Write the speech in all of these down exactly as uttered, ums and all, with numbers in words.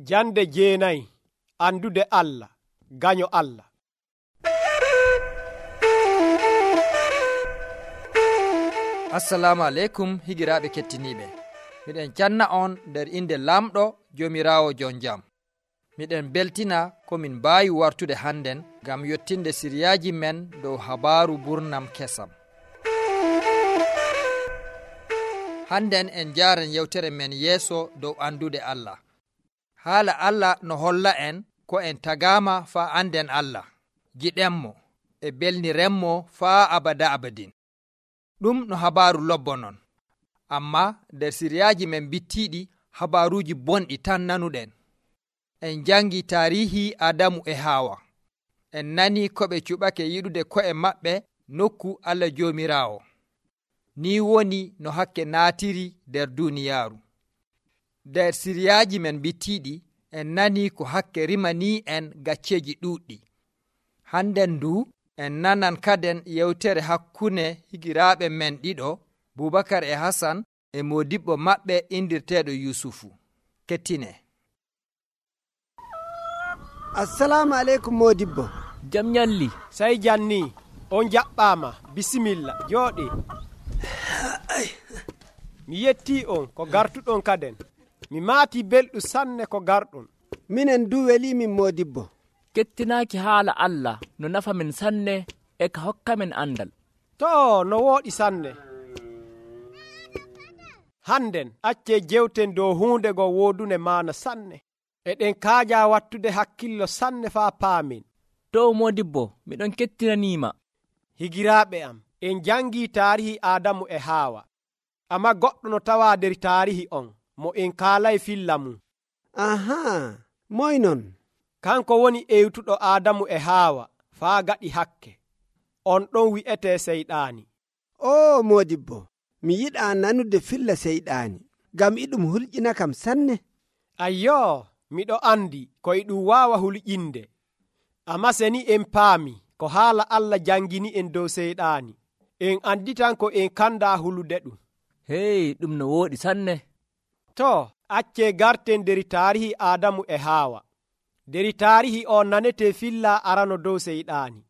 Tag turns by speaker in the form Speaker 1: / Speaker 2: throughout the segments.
Speaker 1: Jande jeenayi andude Allah, gaño Allah.
Speaker 2: Assalamu aleykum higiraaɓe kettiniiɓe. Miɗen canna on nder inde lamɗo Joomiraawo jon jam. Miɗen beltina komin mbaawi wartude hannden ngam yottinde siriyaaji men dow habaaru burnam kesam. Hannden en jaaren yewtere men yeeso dow andude Allah. Haala Allah no holla en ko en tagaama faa anden Allah, giɗenmo e belnirenmo faa abada abadin. Ɗum no habaaru lobbo non. Amma nder siriyaaji men bittiiɗi habaaruuji bonɗi tan nanuɗen. En jangi taarihi Adamu e Haawa. En nani ko ɓe cuɓake yiɗude ko'e maɓɓe nokku Allah Joomiraawo. Ni woni no hakke naatiri nder duuniyaaru. Nder siriyaaji men bittiiɗi en nani ko hakke rimanii en gacceeji ɗuuɗɗi. Hannden ndu en nanan kaden yewtere hakkunde higiraaɓe men ɗiɗo, Bubakar e Hasan e modibbo maɓɓe indirteeɗo Yusufu. Kettine.
Speaker 3: Assalamu aleykum modibbo.
Speaker 4: Jam nyalli.
Speaker 1: Sey janni, on jaɓɓaama, bisimilla, jooɗe. Mi yettii on ko gartuɗon kaden. Mi maatii belɗum sanne ko garɗon.
Speaker 3: Minen du weliimin modibbo.
Speaker 4: Kettinaaki haala Allah no nafa men sanne e ka hokka men andal.
Speaker 1: To no wooɗi sanne. Hannden accee jewten dow huunde go woodune maana sanne. Eɗen kaaja wattude hakkillo sanne faa paamen.
Speaker 4: To modibbo, miɗon kettinaniima.
Speaker 1: Higiraaɓe am, en jangii taarihi Adamu e Haawa. Amma goɗɗo no tawaa nder taarihi on, mo en kaalay filla mum.
Speaker 3: Ahaa, moy non?
Speaker 1: Kanko woni ewtuɗo Adamu e Haawa faa gaɗi hakke. On ɗon wi'etee Seyɗaani.
Speaker 3: O modibbo, mi yiɗaa nanude filla Seyɗaani, ngam iɗum hulƴina kam sanne.
Speaker 1: Ayyoo, miɗo andi ko e ɗum waawa hulƴinde. Amma seni en paami ko haala Allah jangini en dow Seyɗaani, en anditan ko en kandaa hulude ɗum.
Speaker 4: Hey, ɗum no wooɗi sanne.
Speaker 1: To, accee garten nder taarihi Adamu e Haawa. Nder taarihi o nanetee filla arano dow Seyɗaani.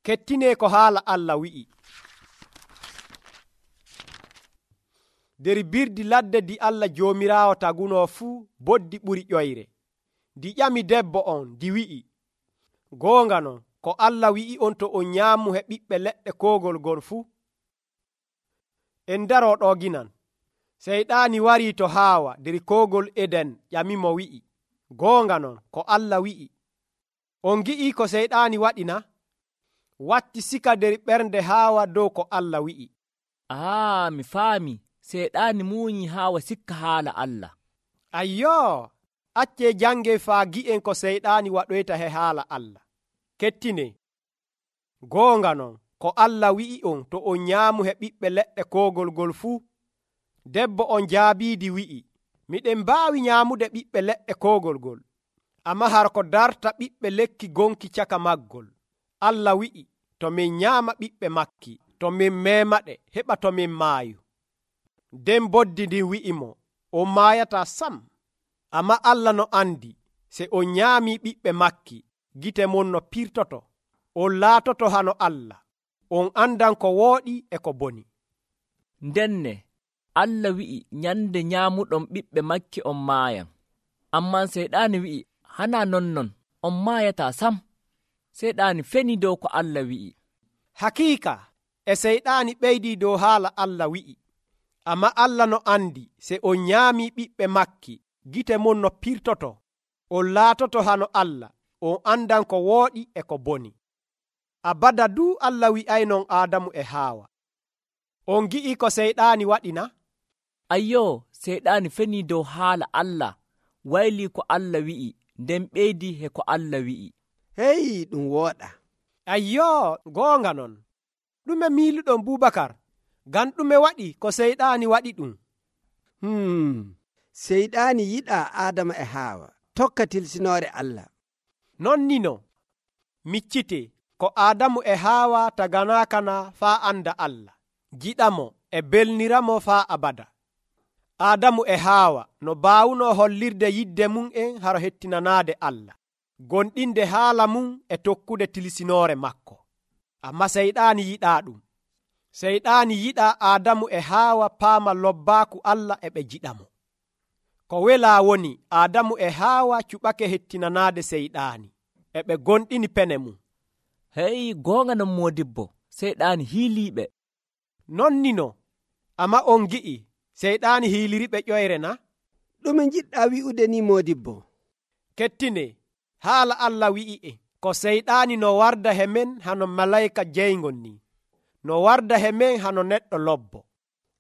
Speaker 1: Kettinee ko haala Allah wi'i. Nder birdi ladde di Allah Joomiraawo tagunoo fuu boddi ɓuri ƴoyre. Di ƴami debbo on, di wi'i, goonga non, ko Allah wi'i on to on nyaamu he ɓiɓɓe leɗɗe koogol gol fuu. En daroo ɗo ginan. Seyɗaani warii to Haawa nder koogol Eden ƴamimo wi'i, goonga non, ko Allah wi'i. On gi'ii ko Seyɗaani waɗina? Watti sika nder ɓernde Haawa dow ko Allah wi'i.
Speaker 4: Aa, mi faami. Seyɗaani muuyi Haawa sikka haala Allah.
Speaker 1: Ayyoo, accee jange faa gi'en ko Seyɗaani waɗoyta he haala Allah. Kettine. Goonga non, ko Allah wi'i on to on nyaamu he ɓiɓɓe leɗɗe koogol gol fuu. Debbo on jaabiidi wi'i, miɗen mbaawi nyaamude ɓiɓɓe leɗɗe koogol gol, amma har ko darta ɓiɓɓe lekki gonki caka maggol. Allah wi'i, to min nyaama ɓiɓɓe makki, to min meemaɗe, heɓa to min maayu. Nden boddi ndin wi'imo, on maayataa sam. Amma Allah no andi, se on nyaamii ɓiɓɓe makki, gite mon no pirtoto, on laatoto hano Allah, on andan ko wooɗi e ko boni.
Speaker 4: Ndenne, Allah wi'i nyande nyaamuɗon ɓiɓɓe makki on maayan. Amman Seyɗaani wi'i, hana nonnon, on maayataa sam. Seyɗaani feni dow ko Allah wi'i.
Speaker 1: Hakiika, e Seyɗaani ɓeydii dow haala Allah wi'i. Amma Allah no andi, se on nyaamii ɓiɓɓe makki, gite mon no pirtoto, on laatoto hano Allah, on andan ko wooɗi e ko boni. Abada duu Allah wi'aynon Adamu e Haawa. On gi'ii ko Seyɗaani waɗina?
Speaker 4: Ayyoo, Seyɗaani feni dow haala Allah, waylii ko Allah wi'i, nden ɓeydii he ko Allah wi'i.
Speaker 3: Hey, ɗum wooɗa.
Speaker 1: Ayyoo, goonga non. Ɗume miiluɗon Bubakar? Ngam ɗume waɗi ko Seyɗaani waɗi ɗum?
Speaker 3: Hmm, Seyɗaani yiɗaa Adama e Haawa, tokka tilsinoore Allah.
Speaker 1: Non nino, miccite ko Adamu e Haawa taganaakana faa anda Allah, jiɗamo e belniramo faa abada. Aadamu e Haawa no baawuno hollirde yidde mum en haro hettinanaade Allah, gonɗinde haala mum e tokkude tilsinoore makko. Amma seyɗaani yiɗaa ɗum. Seyɗaani yiɗaa Aadamu e Haawa paama lobbaaku Allah e ɓe jiɗamo. Ko welaa woni Aadamu e Haawa cuɓake hettinanaade seyɗaani, e ɓe gonɗini pene mum.
Speaker 4: Hey, goonga non moodibbo, seyɗaani hiiliiɓe.
Speaker 1: Non nino, amma on gi'i seyɗaani hiiliriɓe ƴoyre na?
Speaker 3: ɗume jiɗɗaa wi'ude ni moodibbo?
Speaker 1: Kettine, haala Allah wi'i'e ko seyɗaani no warda he men hano malayka jeyngol ni, no warda he men hano neɗɗo lobbo.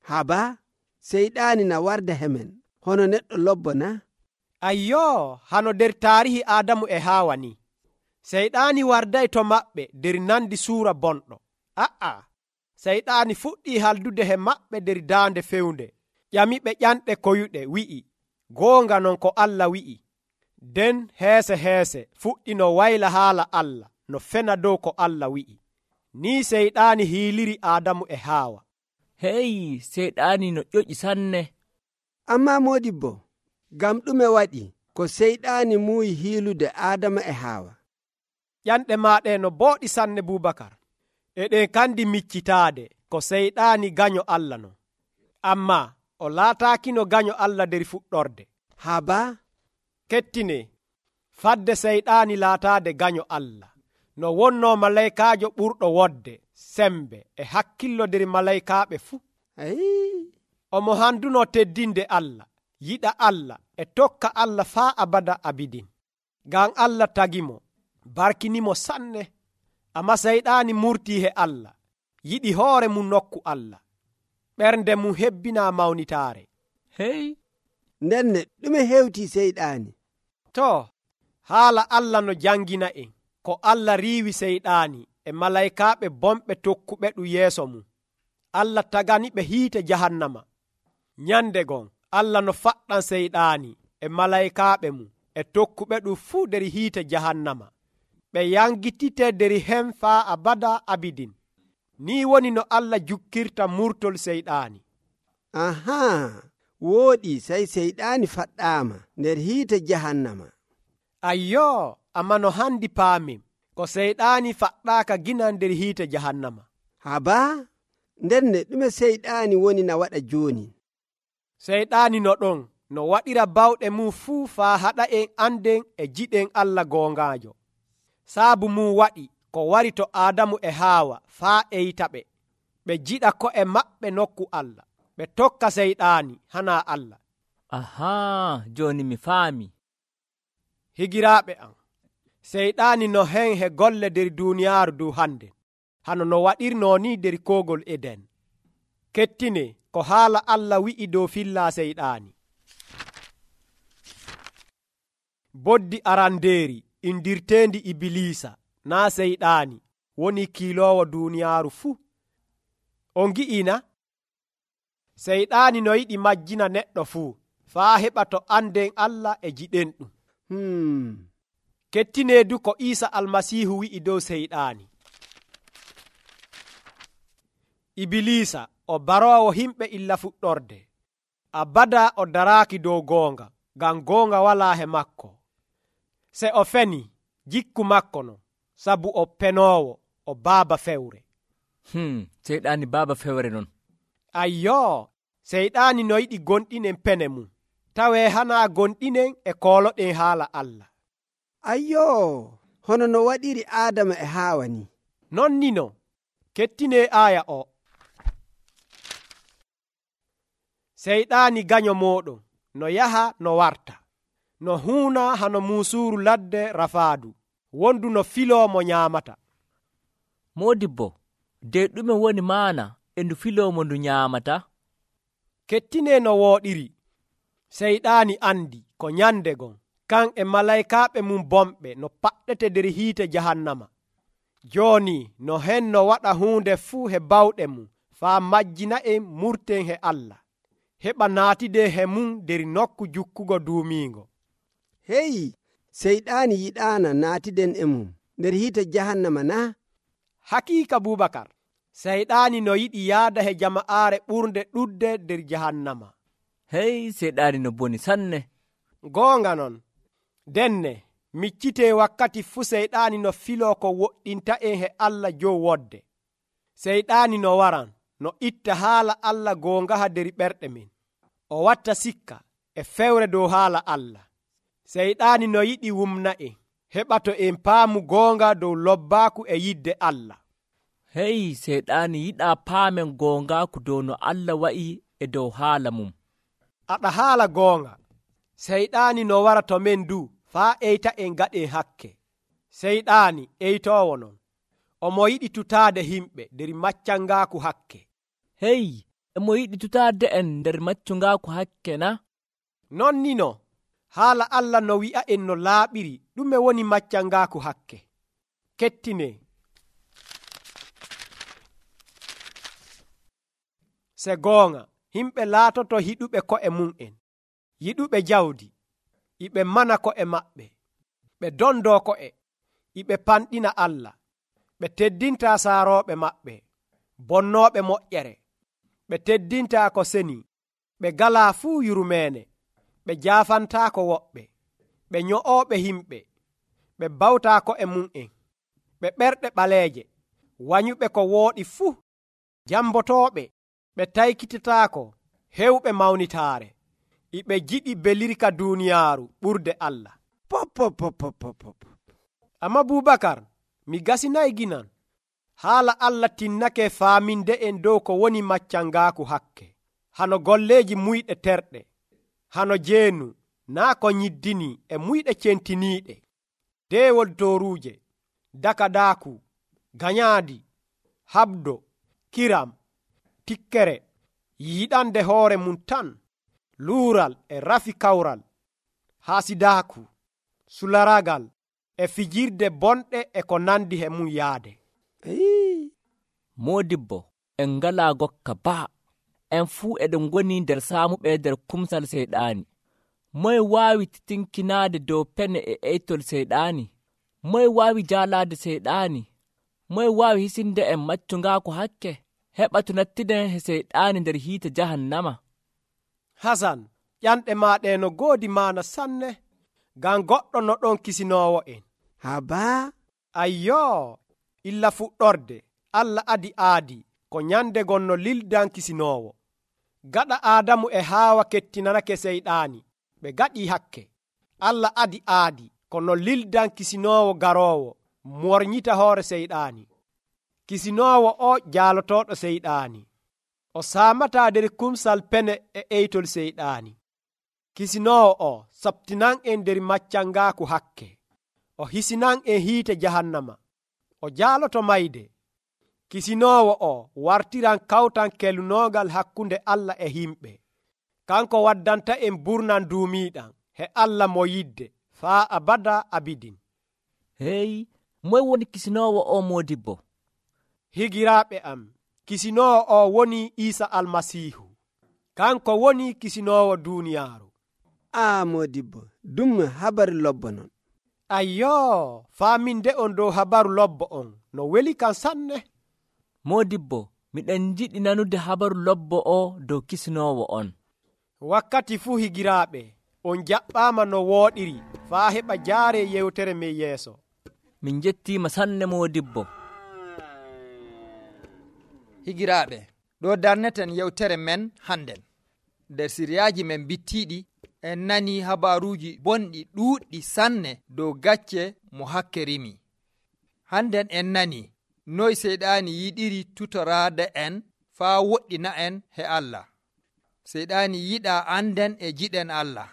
Speaker 3: Haba, seyɗaani na warda he men hono neɗɗo lobbo na?
Speaker 1: Ayyoo, hano nder taarihi Aadamu e Haawa ni. Seyɗaani warday to maɓɓe nder nandi suura bonɗo. A'a, seyɗaani fuɗɗii haldude he maɓɓe nder daande fewnde, ƴamiɓe ƴanɗe koyuɗe, wi'i, goonga non ko Allah wi'i. Nden heese heese fuɗɗi no wayla haala Allah no fena dow ko Allah wi'i. Ni seyɗaani hiiliri Aadamu e Haawa.
Speaker 4: Hey, seyɗaani no ƴoƴi sanne.
Speaker 3: Ammaa moodibbo, ngam ɗume waɗi ko seyɗaani muuyi hiilude Aadama e Haawa?
Speaker 1: Ƴanɗe maaɗe no booɗi sanne Bubakar. Eɗen kandi miccitaade ko seyɗaani gaño Allah non. Ammaa o laataakino gaño Allah nder fuɗɗorde.
Speaker 3: Haba,
Speaker 1: kettine, fadde seyɗaani laataade gaño Allah, no wonnoo malaykaajo ɓurɗo wodde, sembe e hakkillo nder malaykaaɓe fuu.
Speaker 3: Ayi.
Speaker 1: Omo handunoo teddinde Allah, yiɗa Allah e tokka Allah faa abada abidin. Ngam Allah tagimo, barkinimo sanne. Amma seyɗaani murtii he Allah, yiɗi hoore mum nokku Allah. Ɓernde mum hebbinaa mawnitaare.
Speaker 4: Hey,
Speaker 3: ndenne ɗume hewtii seyɗaani?
Speaker 1: To, haala Allah no jangina en ko Allah riiwi seyɗaani e malaykaaɓe bonɓe tokkuɓe ɗum yeeso mum. Allah taganiɓe hiite jahannama. Nyande gon Allah no faɗɗan seyɗaani e malaykaaɓe mum e tokkuɓe ɗum fuu nder hiite jahannama. Ɓe yangitite nder hen faa abada abidin. Ni woni no Allah jukkirta murtol seyɗaani.
Speaker 3: Ahaa, wooɗi sey seyɗaani faɗɗaama nder hiite jahannama.
Speaker 1: Ayyoo, amma no handi paamin ko seyɗaani faɗɗaaka gina nder hiite jahannama.
Speaker 3: Haba, ndenne ɗume seyɗaani woni na waɗa jooni?
Speaker 1: Seyɗaani no ɗon no waɗira bawɗe mum fuu faa haɗa en anden e jiɗen Allah goongaajo. Saabu mum waɗi ko wari to Aadamu e Haawa faa eytaɓe, ɓe jiɗa ko'e maɓɓe nokku Allah, ɓe tokka seyɗaani hana Allah.
Speaker 4: ahaa, jooni mi faami.
Speaker 1: Higiraaɓe am, seyɗaani no hen he golle nder duuniyaaru du hande, hano no waɗirnoo ni nder koogol Eden. Kettine ko haala Allah wi'i dow fillaa seyɗaani. Boddi arandeeri indirteendi Ibilisa naa seyɗaani woni kiiloowo duuniyaaru fuu. On gi'ina? Seyɗaani no yiɗi majjina neɗɗo fuu faa heɓa to anden Allah e jiɗen ɗum.
Speaker 3: Hmm.
Speaker 1: Kettineedu ko Iisa almasiihu wi'i dow seyɗaani. Ibilisa o baroowo himɓe illa fuɗɗorde. Abada o daraaki dow goonga, ngam goonga walaa he makko. Se o feni, jikku makko no, sabu o penoowo, o baaba fewre.
Speaker 4: Hmm, seyɗaani baaba fewre non.
Speaker 1: Ayyoo, seyɗaani no yiɗi gonɗinen pene mum, tawee hanaa gonɗinen e kooloɗen haala Allah.
Speaker 3: Ayyoo, hono no waɗiri Aadama e Haawa ni.
Speaker 1: Non nino, kettinee aaya o. Seyɗaani gaño mooɗon, no yaha no warta, no huuna hano muusuuru ladde rafaadu, wondu no filoo mo nyaamata.
Speaker 4: Moodibbo, de ɗume woni maana e ndu filoo mo ndu nyaamata?
Speaker 1: Kettinee no wooɗiri. Seyɗaani andi ko nyande gon, kan e malaykaaɓe mum bonɓe no paɗɗete nder hiite jahannama. Jooni no hen no waɗa huunde fuu he bawɗe mum, faa majjina en murten he Allah, heɓa naatide he mum nder nokku jukkugo duumiingo.
Speaker 3: Hey, seyɗaani yiɗaana naatiden e mum nder hiite jahannama na?
Speaker 1: Hakiika Bubakar, seyɗaani no yiɗi yaada he jama'aare ɓurnde ɗuɗde nder jahannama.
Speaker 4: hey seyɗaani no boni sanne.
Speaker 1: goonga non denne miccitee wakkati fuu seyɗaani no filoo ko woɗɗinta en he Allah jow wodde. seyɗaani no waran no itta haala Allah goongaha der ɓerɗe men, o watta sikka e fewre dow haala Allah. seyɗaani no yiɗi wumna en heɓa to en paamu goonga dow lobbaaku e yidde Allah.
Speaker 4: hey seyɗaani yiɗaa paamen goongaaku dow no Allah wa'i e dow haala mum.
Speaker 1: aɗa haala goonga, seyɗaani no wara to men du faa eyta en gaɗen hakke. seyɗaani eytoowo non omo yiɗi tutaade himɓe nder maccangaaku hakke.
Speaker 4: hey emo yiɗi tutaade en nder maccungaaku hakke na?
Speaker 1: non ni no haala Allah no wi'a en no laaɓiri ɗume woni maccangaaku hakke. kettine se goonga himɓe laatoto hiɗuɓe ko'e mum'en, yiɗuɓe jawdi, iɓe mana ko'e maɓɓe, ɓe dondoo ko'e, iɓe panɗina Allah, ɓe teddintaa saarooɓe maɓɓe, bonnooɓe moƴƴere, ɓe teddintaa ko seni, ɓe galaa fuu yurmeene, ɓe jaafantaako woɓɓe, ɓe nyo'ooɓe himɓe, ɓe bawtaa ko'e mum'en, ɓe ɓerɗe ɓaleeje, wanyuɓe ko wooɗi fuu, jambotooɓe, ɓe taykitataako hewɓe mawnitaare, iɓe jiɗi belirka duuniyaaru ɓurde Allah.
Speaker 3: pop pop pop pop pop.
Speaker 1: amma Bubakar, mi gasinayi ginan haala Allah tinnake faaminde en dow ko woni maccangaaku hakke. hano golleeji muyɗe terɗe, hano jeenu naa ko nyiddini e muyɗe centiniiɗe, deewol tooruuje, dakadaaku, ganyaadi, habdo, kiram, tikkere, yiɗande hoore mum tan, luural e rafi kawral, haasidaaku, sularagal e fijirde bonɗe e ko nandi he mum yaade.
Speaker 4: moodibbo en ngalaa gokka baa, en fuu eɗen ngoni nder saamuɓe nder kumsal seyɗaani. moye waawi titinkinaade dow pene e eytol seyɗaani? moye waawi jaalaade seyɗaani? moye waawi hisinde en maccungaaku hakke heɓa to nattiden he seyɗaani nder hiite jahannama?
Speaker 1: hasan, ƴanɗe maaɗe no goodi maana sanne, ngam goɗɗo no ɗon kisinoowo en.
Speaker 3: Habaa?
Speaker 1: Ayyoo, illa fuɗɗorde Allah adi aadi ko nyande gon no lildan kisinoowo. gaɗa Aadamu e Haawa kettinanake seyɗaani, ɓe gaɗii hakke. Allah adi aadi ko no lildan kisinoowo garoowo mornyita hoore seyɗaani. kisinoowo o jaalotooɗo seyɗaani, o saamataa nder kumsal pene e eytol seyɗaani. kisinoowo o sabtinan en nder maccangaaku hakke, o hisinan en hiite jahannama, o jaaloto mayde. kisinoowo o wartiran kawtan kelunoogal hakkunde Allah e himɓe, kanko waddanta en burnan duumiiɗan he Allah mo yidde faa abada abidin.
Speaker 4: hey moye woni kisinoowo o moodibbo?
Speaker 1: higiraaɓe am, kisinoowo o woni Iisa almasiihu, kanko woni kisinoowo duuniyaaru.
Speaker 3: a moodibbo, ɗum habaru lobbo non.
Speaker 1: ayyoo, faaminde on dow habaru lobbo on no weli kan sanne.
Speaker 4: moodibbo, miɗen jiɗi nanude habaru lobbo o dow kisinoowo on.
Speaker 1: wakkati fuu higiraaɓe, on jaɓɓaama no wooɗiri faa heɓa jaare yewtere men yeeso.
Speaker 4: min jettiima sanne moodibbo.
Speaker 2: higiraaɓe, ɗo darneten yewtere men hannden. nder siriyaaji men bittiiɗi en nani habaruuji bonɗi ɗuuɗɗi sanne dow gacce mo hakke rimi. hannden en nani noy seyɗaani yiɗiri tutoraade en faa woɗɗina en he Allah. seyɗaani yiɗa anden e jiɗen Allah.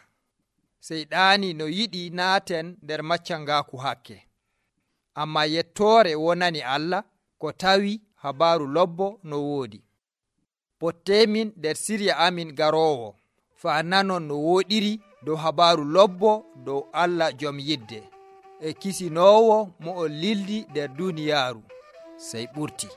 Speaker 2: seyɗaani no yiɗi naaten nder maccangaaku hakke. amma yettoore wonani Allah ko tawi habaru lobbo no woodi. pottemin nder sirya amin garoowo faa nanon no wooɗiri dow habaru lobbo dow Allah jom yidde e kisinoowo mo o lildi nder duniyaaru sey ɓurti.